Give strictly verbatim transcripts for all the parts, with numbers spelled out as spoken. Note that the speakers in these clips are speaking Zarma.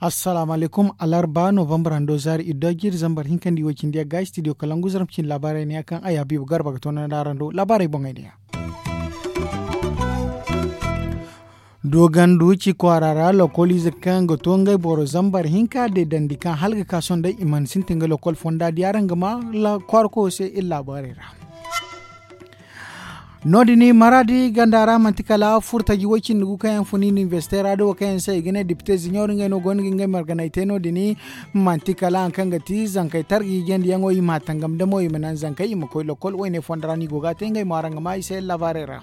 Assalaamu alaykum. Alarba novambar hando zaari iddo jiri zambar hinka nda iway cindi yagga studio kalangu zarma cindi laabaarey ne ya kaŋ ay habiibu garba ga toonandi araŋ do laabaarey boŋey ne ya. Doogandu ci kwaara ra lokoliize kaŋ ga to ngey boro zambar hinka deedandi kaŋ hala ga ka sohõ day i mana sintin ga lokol fonda di araŋ ga ma kwaara koyo se iri laabaarey ra. No- din maraadi ganda ra manti kala furtaji way cindi gu kaŋ yaŋ fun inibersite ra da wo kaŋ yaŋ se i ga ne depite ziɲor ngey no go no ga ngey marganay te no- din. Manti kala hari kaŋ ga ti zankey targa hiijandi yaŋo i ma a tangam damo i ma naŋ zankey i ma koy lokol wayne fondo ra no i go ga a te ngey mo araŋ ga ma i se laabaarey ra.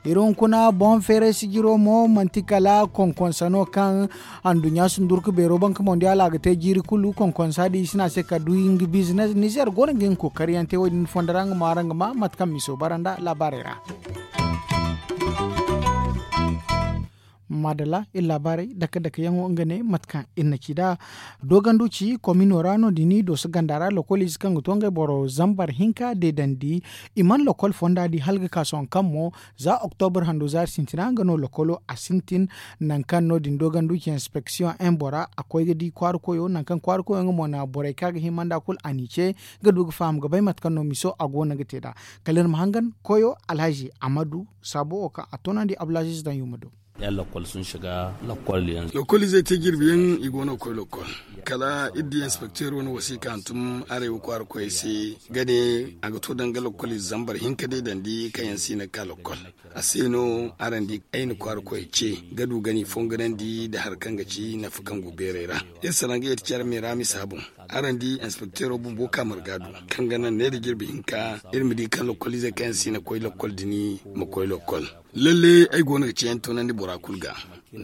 Iri hunkuna boŋ feeray sijiro mo manti kala konkonsa no kaŋ anduɲɲa sundurku beero banka mondiyaal a ga te jiiri kulu konkonsa da i si ne a se ka du nga bizines nizer go no ga nga kookariyaŋ te wo- din fondo ra nga mo araŋ ga ma mate kaŋ miso bara nda laabaarey ra. Maadalla iri laabaarey dake dake yaŋo nga ne mate kaŋ iri na ci nd'a. Doogandu ci komino ra no- din dooso ganda ra lokoliize kaŋ ga to ngey boro zambar hinka deedandi. I mana lokol fonda di hala ga ka sohõ kaŋ mo za oktobar hando zaari sintina nga no lokolo a sintin. Nangu kaŋ no- din doogandu ci inspeksiyoŋ en bora a koy ga di kwaara koyo nangu kaŋ kwaara koyo nga mo na borey kaŋ a ga hima nd'a kulu a n'i ce ga du ga faham ga bay mate kaŋ no miso a go no ga te nd'a. Kala iri ma hangan koyo alhazi amadu saabo wo kaŋ a toonandi abdulaziz daŋ yuma do. Lokoliizey te jirbi yaŋ i go no ga koy lokol. Kala iri di inspekteero na wasiika hantum arey wo kwaara koyey se ga ne a ga to danga lokoliize zambar hinka deedandi kaŋ yaŋ si hin ga ka lokol. A se no araŋ di ay na kwaara koyey ce ga du ga ni fonganandi nda hari kaŋ ga ci nafa kaŋ go beerey ra. Iri salaŋ ga yeeti care meera misa boŋ. Araŋ di inspekteero bumbo ka marga du kaŋ ga naŋ ne nda jirbi hinka iri ma di kaŋ lokoliizey kaŋ yaŋ si hin ga koy lokol din ma koy lokol. Lalle ay go no ga ceeyaŋ toonandi bora kulu ga.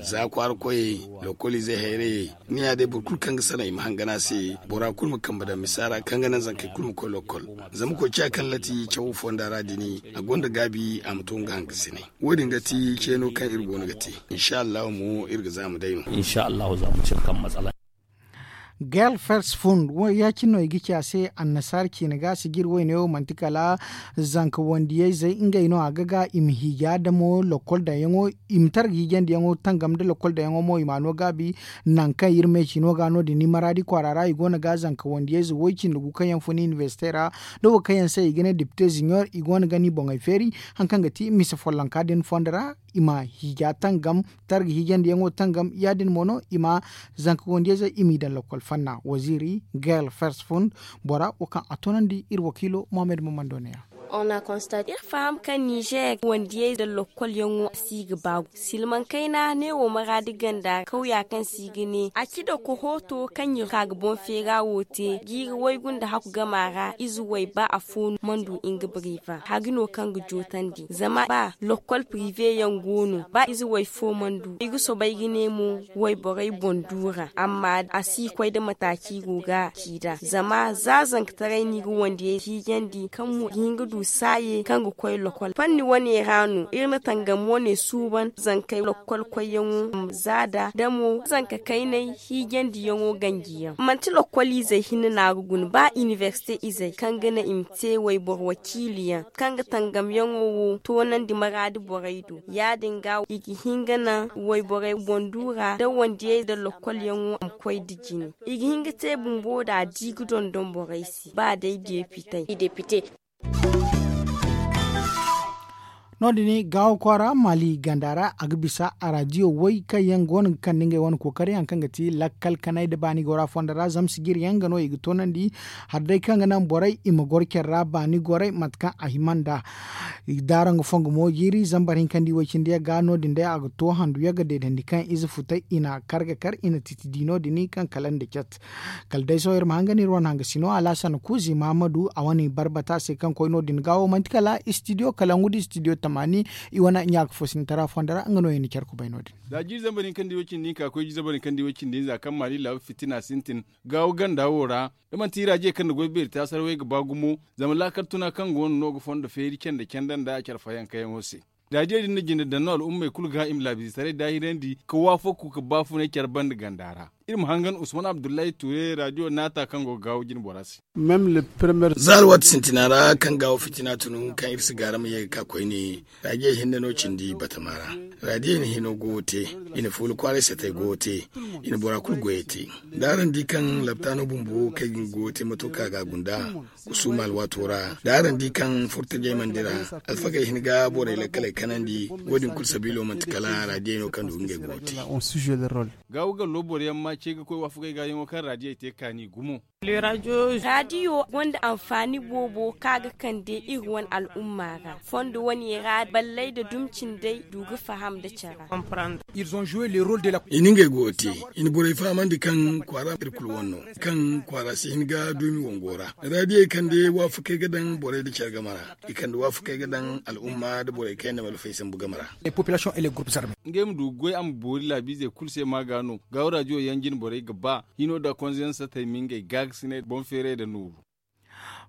Za kwaara koyey lokoliizey hayrayey ni ya day boro kulu kaŋ ga sanaŋ i ma hangan a se. Bora kulu ma kambe daŋ misa ra kaŋ ga naŋ zankey kulu ma koy lokol. Zama koy ciya kaŋ lati cawo fonda ra din a gonda gaabi a ma to nga hangasinay. Wo- din ga ti ceeno kaŋ iri go no ga te. Insa allahu mo iri ga za ma day no. Insa allahu za ma cine kaŋ matsala. Gel fers fund ya- cine no i ga ci a se annasaara ciine ga sijir wayne wo manti kala zanka wandiyayzey ngey no a ga ga i ma hiija damo lokol daŋ yaŋo i ma targa hiijandiyaŋo tangam nda lokol daŋ yaŋo mo i ma a no gaabi. Nangu kaŋ iri ma ay ci no ga no- din ni maraadi kwaara ra i go no ga zanka wandiyayze way cindi gu kaŋ yaŋ fun inibersite ra da wo kaŋ yaŋ se i ga ne depite ziɲor i go no ga ni boŋey feeri. Hari kaŋ ga ti mise follonka din fondo ra i ma hiija tangam targa hiijandiyaŋo tangam ya- din mo no i ma zanka wandiyayze i m'i daŋ lokol fanna waziiri gel fers fund bora wo kaŋ a toonandi iri wakiilo mohammed mamando ne ya. Iri faham kaŋ nizer wandiyey nda lokolyaŋo a si ga ba gu silmaŋ kayna ne wo maraadi ganda kawya kaŋ si ga ne a ci da kohooto kaŋ iri ka ga boŋ feera wo te jiiri waygu nda haku gama ra ize way ba afo mandu nga bariva hari no kaŋ ga jootandi zama ba lokol pirive yaŋ go no ba ize way fo mandu i ga soobay ga ne mo wayborey boŋ duura amma a si koy nda mataaci go ga ci nd'a zama za zankataray no i ga wandiyey hiijandi kaŋ mo ga hin ga du saaye kaŋ ga koy lokol fanni wane ra no iri na tangam wane suuban zankey lokol koyyaŋo za nda damo zanka kaynay hiijandiyaŋo ganjiyaŋ manti lokol izey hinne no a ga guna ba inibersite izey kaŋ ga naŋ i ma te wayboro wakiiliyaŋ kaŋ ga tangamyaŋo wo toonandi maraadi borey do ya- din ga i ga hin ga naŋ wayborey boŋ duura nda wandiyey nda lokolyaŋo a ma koy nda jine i ga hin ga te bumbo da a di ga dondon borey se ba day depitey. No- din gaawo kwaara maali ganda ra a ga bisa araadiyo way kaŋ yaŋ go no ga kande ngey wane kookari hari kaŋ ga ti lakkal kanay nda baani gora fondo ra zama sijir yaŋ ga no i ga toonandi hari day kaŋ ga naŋ borey i ma goro care ra baani goray mate kaŋ a hima nd'a. Daaraŋ ga fongo mo jiiri zambar hinka nda iway cindi yagga no- din day a ga to handu yagga deedandi kaŋ ize futay i na kar ga kar i na titi di no- din kaŋ kala nda cat. Kala day sohõ iri ma hangan iri wane hangasino alhasan kuuzi mahamadu a wane barbata se kaŋ koy no- din ga wo manti kala istidiyo kala ngu da istidiyo tamaani i wane ɲaaka fo sintara fondo ra nga no i na care kubay no- din. Za jiiri zambar hinka nda iway cindi hinka koy jiiri zambar hinka nda iway cindi hinza kaŋ maali laabu fitina sintin gaawo ganda wo ra da manti iri a je kaŋ nda goy beeri taasar way ga ba gumo zama laakal tuna kaŋ go no no ga fondo feeri cende cende nda care fayankayaŋo se. Daajiya din na jinde daŋ no al'ummey kulu ga i ma laabiizetaray daahirandi ka waafaku ka baafunay care banda ganda ra. Iri ma hangan usman abdullahi ture radio naata kaŋ go ga gaawo jine bora se. Za alwaati sintina ra kaŋ gaawo fitina tun kaŋ iri si gaara ma ye ga ka koyne, raadiyo hinne no cindi batama ra. Raadiyo hino go ga te, i na fuula kwaaray satey go ga te, i na bora kulu goyey te. Da araŋ di kaŋ laptaano bumbo kaŋ i ga goyo te mato kaŋ a ga a gunda, kusuuma alwaato ra da araŋ di kaŋ furtajey mana dira, alfagey hin ga borey lakkaley kanandi. Wo- din kulu sabiilo manti kala raadiyo no kaŋ du ngey go ga te. Gaawo gallo boro yaŋ ma ce ga koy waafakey ga yaŋo kaŋ raadiyey te kaani gumo. Raadiyo gonda anfaani boobo kaŋ a ga kande iri wane al'umma ra fondo wane ra balley nda dumi cindey du ga faham nda care ra. I na ngey go ga te, i na borey fahamandi kaŋ kwaara iri kulu wane no, kaŋ kwaara si hin ga duumi wango ra. Raadiyey kande waafakey ga daŋ borey nda care game ra. I kande waafakey ga daŋ al'umma nda borey kaŋ yaŋ na malfey sambu game ra. Ngey ma du ga goy a ma boori laabiizey kulu se ma ga no gaawo raadiyo yaŋ jine borey ga ba hino nda konze yaŋ satey ma ngey gaagasinay boŋ feeray nda nooru.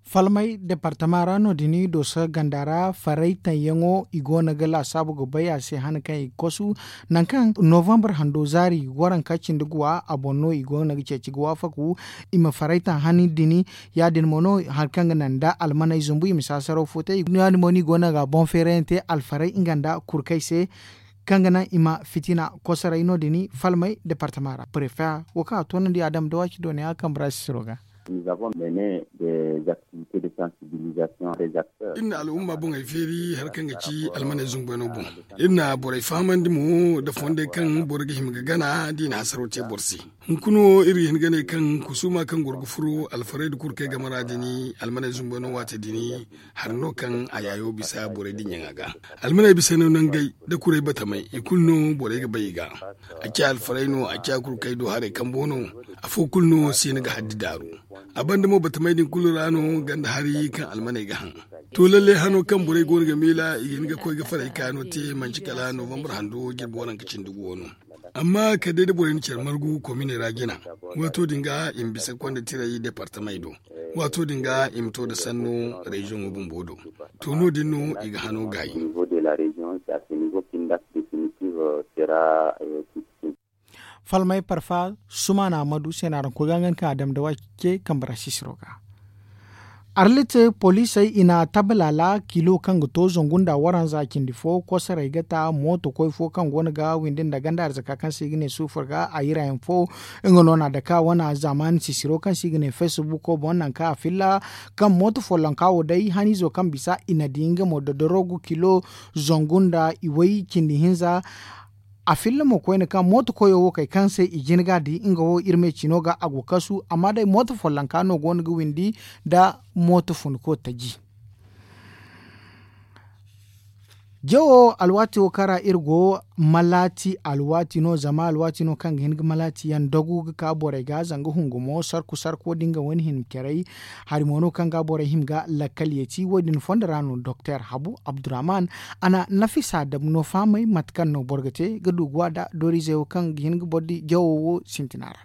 Falmay departama ra no- din dooso ganda ra faray taŋ yaŋo i go no ga laasaabu ga bay a se han kaŋ i ga kosu. Nangu kaŋ novambar hando zaari waranka cindi guwa a boŋ no i go no ga ceeci ga waafaku i ma faray taŋ han din. Ya- din mo no hari kaŋ ga naŋ nda almaney zumbu i ma saasaraw fo te ya- din mo no i go no ga boŋ feerayaŋ te alfaray nga nda kurkey se, kaŋ ga naŋ i ma fitina kosoray no- din falmay departama ra prefe wo kaŋ a toonandi a dam da waaci dooniya kambe ra sisiro ga. Iri na al'umma boŋey feeri hari kaŋ ga ci almaney zumbayno boŋ. Iri na borey fahamandi mo nda fondey kaŋ boro ga hima ga gana da i na hasaro te boro se. Hunkuna wo iri ga hin ga ne kaŋ kusuuma kaŋ goro ga furo alfarayda kulu kaŋ ay game ra din almaney zumbayno waate din, hari no kaŋ a yaayo bisa borey dinya ŋa ga. Almaney bisa no nangey da kuray batamey i kulu no borey ga bay i ga. A ciya alfaray no a ciya kulu kaŋ ay du haray kambo no. Afo kulu no siina ga haddi daaru. A banda mo batamey din kulu ra no ganda hari kaŋ almaney ga haŋ. To lalle hano kaŋ borey go no ga miila i ga hin ga koy ga faray kaano te manci kala novambar hando jirbi waranka cindi guwo no. Amma kala day da borey na care margu komine ra jina, waato din ga i ma bisa konda tiray departamey do. Waato din ga i ma to nda sanno reziyoŋo bumbo do. To no- din no i ga hano gaayi. Falmay parfa sumaana ma du se no araŋ koy ga nga ni kaŋ a dam da waaci ce kambe ra sisiro ga. Arlit poliisey i na tabalala kilo kaŋ ga to zangu nda waranza cindi fo kosoray ga ta mooto koy fo kaŋ go no ga windi nda ganda arzaka kaŋ se i ga ne suufur ga a yirayaŋ fo. Nga no na daka wane zaamaani sisiro kaŋ se i ga ne feesibuko boŋ nangu kaŋ a filla kaŋ mooto follonka wo day haniizo kaŋ bisa i na di nga mo dodorogu kilo zangu nda iway cindi hinza. A filla mo koyne kaŋ mooto koyo wo kay kaŋ se i jin ga di nga wo iri me cino ga a go kasu amma day mooto follonka no go no ga windi nda mooto funko taji. Jawo alwaati wo kaŋ ra iri go malaati alwaati no zama alwaati no kaŋ ga hin ga malaati yaŋ dagu ga ka borey ga zanga hungumo sarku sarko da nga wane hima caray. Hari mo no kaŋ ga borey hima ga lakkal yeeti wo- din fondo ra no doktor habu abdurrahman a na nafisa dam no fahamay mate kaŋ no boro ga te ga du ga wa da dooriizey wo kaŋ ga hin ga boro di jawo wo sintina ra.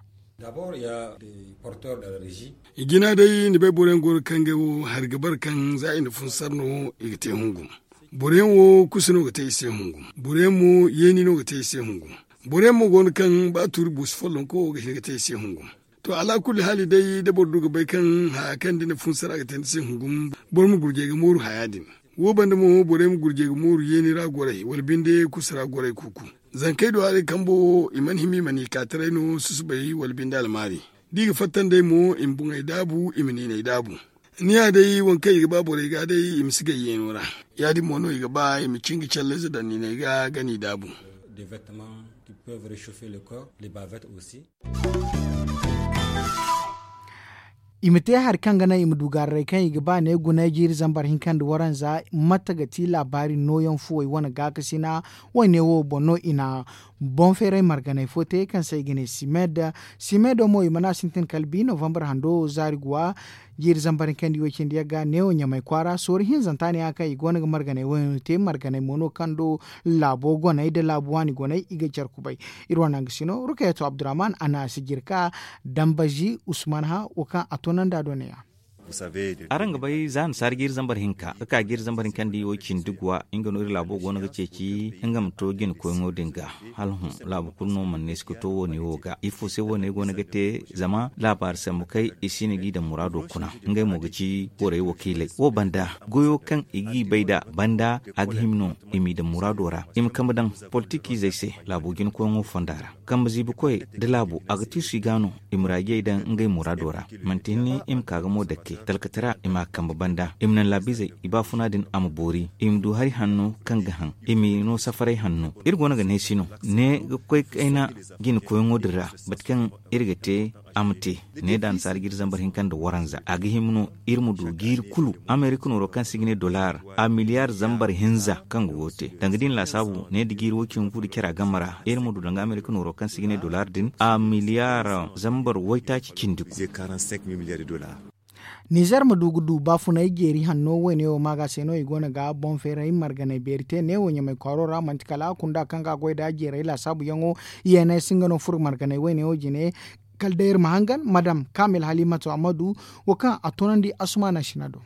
I jina day ni bay boro yaŋ go no kaŋ ngey wo hari ga bare kaŋ za i na funsar no i ga te hungum. Boro yaŋ wo kusa no ga te i se hungum. Boro yaŋ mo yeeni no ga te i se hungum. Boro yaŋ mo go no kaŋ ba tuuri buusu follonko ga hin ga te i se hungum. To alaakulli haali day da boro du ga bay kaŋ haya kaŋ da ni funsar a ga te ni se hungum. Boro ma gurjay ga mooru haya din. Wo banda mo borey ma gurjay ga mooru yeeni ra goray wala binde kusa ra goray kuuku. Zankey do haray kambo wo i mana hima i ma ni kaataray no susubay wala binde almaari. Da i ga fatta nd'ey mo i ma buŋey daabu i ma niiney daabu. Ni ya day waŋ kaŋ i ga ba borey ga day i ma si gay yeeno ra. Ya- din mo no i ga ba i ma cinga callayze daŋ niiney ga ga ni daabu. I ma te hari kaŋ ga naŋ i ma du gaararay kaŋ i ga ba ne gunay jiiri zambar hinka nda waranza mate ga ti laabaari nooyaŋ fuwey wane gaakasina. Wayne wo boŋ no i na boŋ feeray marganay fo te kaŋ se i ga ne simed. Simedo mo i mana sintin kala bi novambar hando zaari guwa. Jiiri zambar hinka nda iway cindi yagga neewo ɲamay kwaara sooru hinzanta ne ya kaŋ i go no ga marganay wayno te marganay mo no kaŋ do laabo goney nda laabu waani goney i ga care kubay. Iri wane hangasino rukayato abdurrahman a na si jirka dambazi usman ha wo kaŋ a toonandi a do ne- ya. Araŋ ga bay za ni saari jiiri zambar hinka ka ka jiiri zambar hinka nda i wo cindi guwa nga no iri laabo go no ga ceeci nga ma to jina koyŋo din ga. Hala hõ laabu kulu no mana neesi ga to wo- ne wo ga ifo se wo- ne go no ga te zama laabaari sambu kay i si na g'i daŋ muraado kuna. Ngey mo ga ci borey wakiiley wo banda goyo kaŋ i g'i bay nd'a banda a ga hima no i m'i daŋ muraado ra i ma kambe daŋ politikiizey se laabo jina koyŋo fonda ra. Kambe ziibi koyey nda laabu a ga tiisu i ga no i ma raajiyey daŋ ngey muraado ra. Manti hinne i ma ka ga mo dakke talkatara i m'a kambe banda i ma naŋ laabiizey i baafuna din a ma boori i ma du hari hanno kaŋ ga haŋ i m'i no safaray hanno. Iri go no ga neesi no ne ga koy kayna jina koyŋo din ra mate kaŋ iri ga te a ma te. Ne da annasaara jiiri zambar hinka nda waranza a ga hima no iri ma du jiiri kulu amerika nooro kaŋ se i ga ne dollar a miliyaar zambar hinza kaŋ ga go te danga da i na laasaabu ne da jiiri woy cindi fu nda care a game ra iri ma du danga amerika nooro kaŋ se i ga ne dollar din a miliyaar zambar waytaaci cindi gu. Nizer ma du ga du baafunay jeeri hanno woyne wo ma ga se no i go no ga boŋ feeray marganay beeri te neewo ɲamay kwaaro ra manti kala kunda kaŋ ga a goy nd'a jeeray laasaabuyaŋo. Yeene si nga no furo marganay woyne wo jine. Kala day iri ma hangan madam kamil halimatu amadu wo kaŋ a tunandi asumana sina do.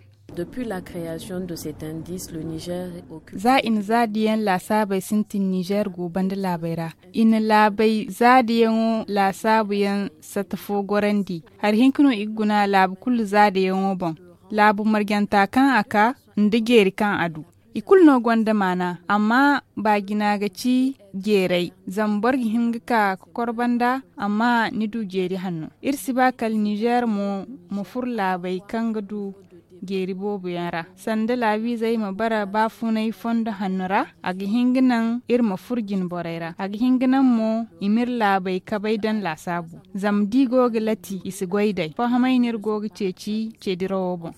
Za i na zaadiyaŋ laasaabey sintin nizer go banda laabey ra i na laabey zaadiyaŋo laasaabuyaŋ satta fo gorandi. Hari hinka no i ga guna laabu kulu zaadiyaŋo boŋ laabu marjanta kaŋ a ka nda jeeri kaŋ a du. I kulu no gonda maana amma baajina ga ci jeeray zama boro ga hin ga ka ga kor banda. Amma ni du jeeri hanno iri si ba kala nizer mo ma furo laabey kaŋ ga du jeeri boobo yaŋ ra sanda laabiizey ma bara baafunay fondo hanno ra. A ga hin ga naŋ iri ma furo jine borey ra a ga hin ga naŋ mo i m'iri laabey kabay daŋ laasaabu. Zama da i go ga lati i si goy day fahãmay no iri go ga ceeci ceedirawo boŋ.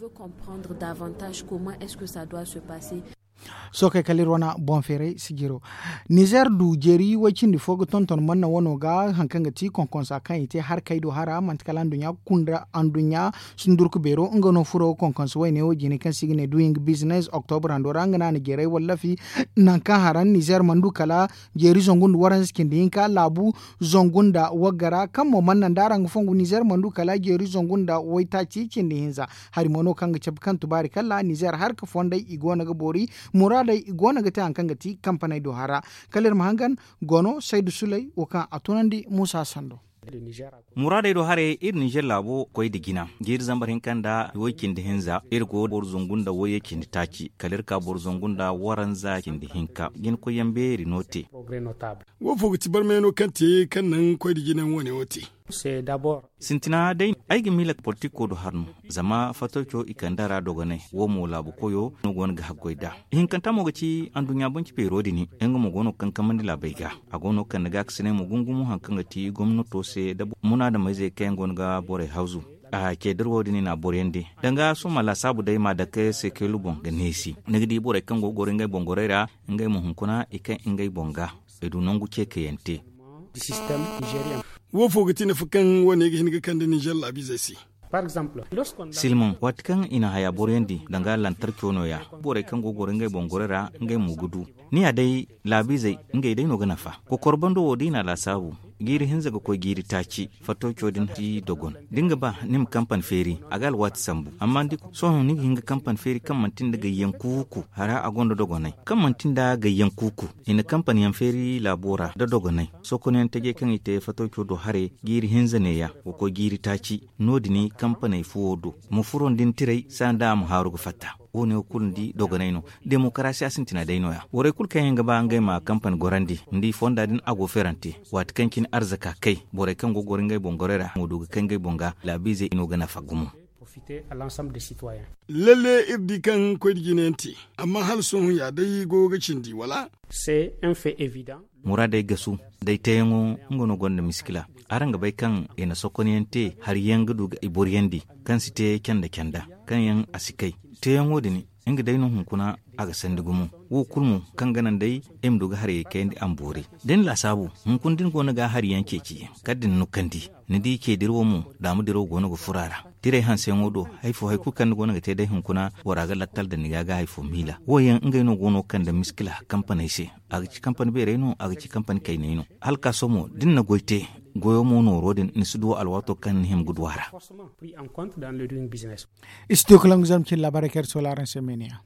Sookey kala iri wane boŋ feeray sijiro. Nizer du jeeri way cindi fo ga tonton manna wano ga hari kaŋ ga ti konkonsa kaŋ i te hari kay do hara manti kala anduɲɲa kunda anduɲɲa sundurku beero nga no furo ga konkonsa wayne wo jine kaŋ se i ga ne duyin ga bizines oktobra hando ra nga no a na jeeray wallafi. Nangu kaŋ haraŋ nizer mana du kala jeeri zangu nda waranza cindi hinka laabu zangu nda wagga ra kaŋ mo mana naŋ da araŋ ga fongu nizer mana du kala jeeri zangu nda waytaaci cindi hinza. Hari mo no kaŋ ga cabe kaŋ tubaari kala nizer harka fondey i go no ga boori muraadey i go no ga te hari kaŋ ga ti kampaney do hara. Kala iri ma hangan gono saydu suley wo kaŋ a tunandi muusa sando. Muraadey do haray iri nizer laabo koy nda jina jiiri zambar hinka nda way cindi hinza iri go boro zangu nda wayye cindi taaci kala iri ka boro zangu nda waranza cindi hinka jina koyyaŋ beeri no te. Wo fo ga ti barmay no kaŋ te kaŋ naŋ koy nda jina yaŋ wane wo te. Sintina day ay ga miila politiko do hari no. Zama fattaco i kande a ra dogonay wo mo laabu koyo no go no ga haggoy nd'a. Ihinkanta mo ga ci anduɲɲa banci feero din nga mo go no ga kankamandi laabey ga. A go no ga kande gaakasinay mo gumo gumo hari kaŋ ga ti gomnato se nda munaadamayzey kaŋ yaŋ go no ga borey hawzu. A ce da iri wo- din i na a boroyandi danga sohõ ma laasaabu day ma a dake seekelu boŋ ga neesi ni ga di borey kaŋ go ga goro ngey boŋ gorey ra ngey mo hunkuna i kay ngey boŋ ga. I du nangu ceekayaŋ te. Wo fo ga ti nafa kaŋ wo- ne ga hin ga kande nizer laabiizey se? Silmaŋ waati kaŋ i na haya boroyandi danga lantarco nooya borey kaŋ go ga goro ngey boŋ gorey ra ngey mo ga du. Ni ya day laabiizey ngey day no ga nafa. Kokor bando wo da i na a laasaabu jiiri hinza ga koy jiiri taaci. Fattooco din ti dogon da ni ga ba ni ma kampani feeri a ga alwaati sambu amma ni di sohõ ni ga hin ga kampani feeri kaŋ manti nda gayyaŋ kuuku hara a gonda dogonay kaŋ manti nda gayyaŋ kuuku. I na kampaniyaŋ feeri laabo ra nda dogonay sohõ koyne yaŋ tajey kaŋ i te fattooco do haray jiiri hinza neeya ga koy jiiri taaci. No- din kampaney fuwo do ma furo nda ni tiray saanda a ma haaru ga fatta. Wo- ne wo kulu ni di dogonay no. Demokarasiya sintina day nooya borey kulu kaŋ yaŋ ga ba ngey ma kampani gorandi ni di fonda din a go feerante. Waati kaŋ cine arzaka kay borey kaŋ go ga goro ngey boŋ gorey ra mo du ga kay ngey boŋ ga laabiizey no ga nafa gumo. Lalle iri di kaŋ koy nda jina yaŋ te amma hala sohõ ya day go ga cindi wala? Muraadey gasu day teeyaŋo nga no gonda miskila. Araŋ ga bay kaŋ i na sokonyaŋ te hari yaŋ ga du ga i boroyandi kaŋ si te canda canda kaŋ yaŋ a si kay. Teeyaŋo din nga day no hunkuna. a ga sandi gumo. Wo kulu mo kaŋ ga naŋ day ay ma du ga harayey kayandi a ma boori. Da ni laasaabu, hunkuna da ni go no ga hari yaŋ ceeci, kala da ni nukandi, ni di ce dirawo mo, daama dirawo go no ga furo a ra. Tirey hanseyaŋo do, hari fo hari kulu kaŋ ni go no ga te day hunkuna, bora ga lakkal daŋ ni ga ga hari fo miila. Wo yaŋ ngey no go no ga kande miskila kampaney se. A ga ci kampani beerey no, a ga ci kampani kayney no. Hala ka sohõ mo da ni na goy te, goyo mo nooro din ni si du alwaato kaŋ ni hima ga du a ra. Studio kalangu zama cine laabaarey kaŋ iri soola araŋ se meeniya.